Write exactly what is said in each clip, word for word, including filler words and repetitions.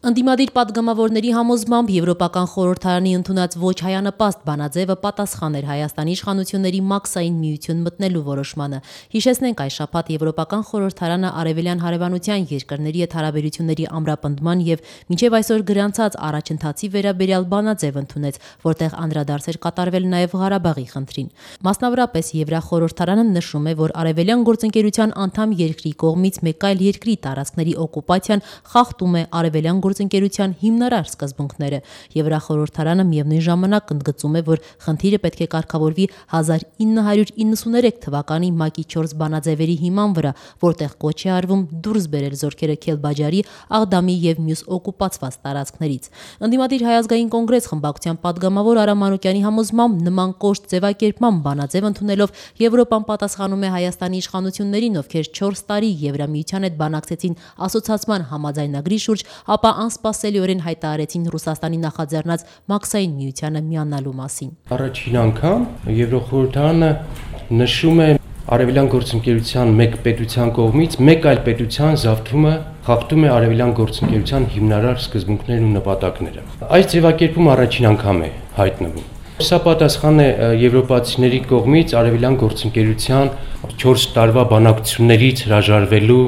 Ընդդիմադիր պատգամավորների համոզմամբ Եվրոպական խորհրդարանի ընդունած ոչ հայանպաստ բանաձևը պատասխան էր Հայաստանի իշխանությունների մաքսային միություն մտնելու որոշմանը։ Հիշեցնենք, այս շաբաթ Եվրոպական խորհրդարանը արևելյան հարևանության երկրների հետ հարաբերությունների ամրապնդման եւ մինչեւ այսօր գրանցած առաջընթացի վերաբերյալ բանաձև ընդունեց, որտեղ անդրադարձ էր կատարվել նաեւ Ղարաբաղի խնդրին։ Մասնավորապես Եվրախորհրդարանը նշում է, որ արևելյան գործընկերության անդամ երկրի կողմից մեկ այլ երկրի տարածքների օկուպացիան խախտում է արևելյան գործընկերության հիմնարար սկզբունքները։ Եվրախորհրդարանը միևնույն ժամանակ ընդգծում է, որ խնդիրը պետք է կարգավորվի հազար ինը հարյուր իննսուներեք թվականի ՄԱԿ-ի չորս բանաձևերի հիման վրա, որտեղ կոչ է արվում դուրս բերել զորքերը Քելբաջարի, Աղդամի եւ մյուս օկուպացված տարածքներից։ Ընդդիմադիր Հայ ազգային կոնգրես խմբակցության պատգամավոր Արամ Մանուկյանի համոզմամբ նման կոշտ ձևակերպման բանաձև ընդունելով Եվրոպան պատասխանում է Հայաստանի իշխանություններին, ովքեր չորս տարի Եվրամիության հետ բանակցեցին ասոցիացիան համաձայնագրի շուրջ, ապա անսպասելիորեն հայտարարեցին Ռուսաստանի նախաձեռնած մաքսային միությանը միանալու մասին։ Առաջին անգամ Եվրոխորհրդարանը նշում է արևելյան գործընկերության մեկ պետության կողմից մեկ այլ պետության զավթումը խախտում է արևելյան գործընկերության հիմնարար սկզբունքներն ու նպատակները։ Այս ձևակերպումը առաջին անգամ է հայտնվում։ Սա պատասխան է եվրոպացիների կողմից արևելյան գործընկերության չորս տարվա բանակցություններից հրաժարվելու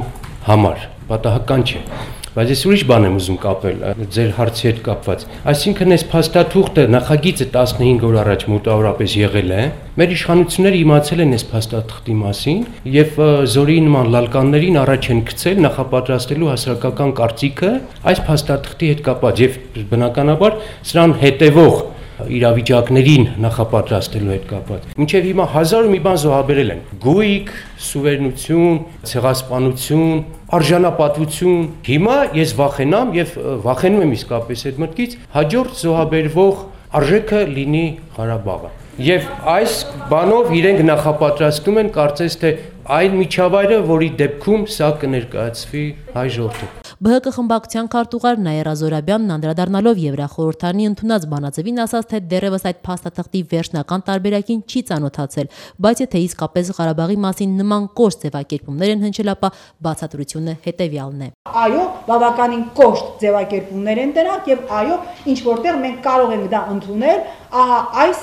համար։ Պատահական չէ։ Բայց ես ուրիշ բան եմ ուզում կապել ձեր հարցի հետ կապված։ Այսինքն այս փաստաթուղթը նախագիծը տասնհինգ օր առաջ մոտավորապես եղել է։ Մեր իշխանությունները իմացել են այս փաստաթղթի մասին եւ զորի նման լալկաններին առաջ են գցել նախապատրաստելու հասարակական կարծիքը այս փաստաթղթի հետ կապված եւ բնականաբար սրան հետեւող իրավիճակներին նախապատրաստելու հետ կապված։ Մինչև հիմա հազար ու մի բան զոհաբերել են։ Գույք, սուվերենություն, ցեղասպանություն, արժանապատվություն։ Հիմա ես վախենամ եւ վախենում եմ իսկապես այդ մտքից հաջորդ զոհաբերվող արժեքը լինի Ղարաբաղը։ Եվ այս բանով իրենք նախապատրաստում են կարծես թե այն միջավայրը, որի դեպքում սա կներկայացվի հայ ժողովրդին։ ԲՀԿ խմբակցության քարտուղար Նաիրա Զորաբյանն անդրադառնալով Եվրախորհրդարանի ընդունած բանաձևին ասաց, թե դեռևս այդ փաստաթղթի վերջնական տարբերակին չի ծանոթացել, բայց եթե իսկապես Ղարաբաղի մասին նման կոշտ ձևակերպումներ են հնչել, ապա բացատրությունը հետևյալն է։ Այո, բավականին կոշտ ձևակերպումներ են դրանք եւ այո, ինչ որտեղ մենք կարող ենք դա ընդունել, ահա այս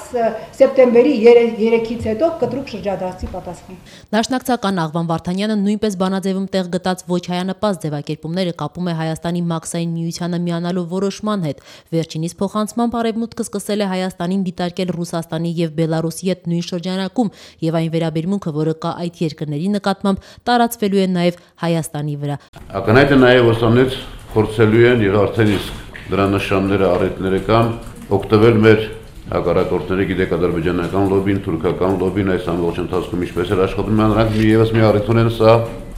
սեպտեմբերի երեքից հետո կտրուկ շրջադարձի պատասխան։ Դաշնակցական Աղվան Վարդանյանը նույնպես բանաձևում տեղ գտած ոչ հայանպաստ ձևակերպումները կապում է Հայաստանի մաքսային միությանը միանալու որոշման հետ։ Վերջինիս փոխանցմամբ Արևմուտքը սկսել է Հայաստանին դիտարկել Ռուսաստանի եւ Բելարուսի հետ նույն շրջանակում եւ այն վերաբերմունքը, որը կա այդ երկրների նկատմամբ, տարածվելու է նաեւ Հայաստանի վրա։ Ակնհայտ է նաեւ ոստանից փորձելու են եւ արդեն իսկ դրա նշանները առիթները կան օգտվել մեր հակառակորդների, գիտեք, ադրբեջանական լոբին, թուրքական լոբին այս ամբողջ ընթացքում ինչպես էր աշխատում, նրանք եւս մի առիթ ունեն սա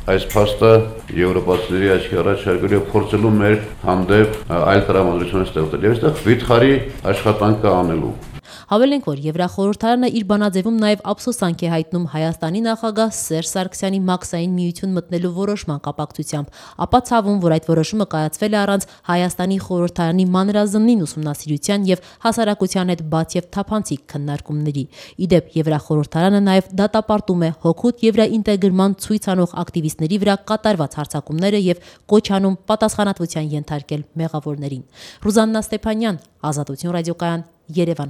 այս փաստը եվրոպացիների աչքի առաջ շարժելու եւ փորձելու մեր հանդեպ այլ տրամադրություն ստեղծել։ Եվ այստեղ վիթխարի աշխատանք կա անելու։ Հավելենք, որ Եվրախորհրդարանը իր բանաձևում նաև ափսոսանք է հայտնում Հայաստանի նախագահ Սերժ Սարգսյանի մաքսային միություն մտնելու որոշման կապակցությամբ, ապա ցավում, որ այդ որոշումը կայացվել է առանց Հայաստանի խորհրդարանի մանրազնին ուսումնասիրության եւ հասարակության հետ բաց եւ թափանցիկ քննարկումների։ Իդեպ Եվրախորհրդարանը նաև դատապարտում է հօգուտ եվրաինտեգրման ցույց անող ակտիվիստների վրա կատարված հարձակումները եւ կոչ անում պատասխանատվության ենթարկել մեղավորներին։ Ռուզաննա Ստեփանյան, Ազատություն ռադիոկայան, Երևան։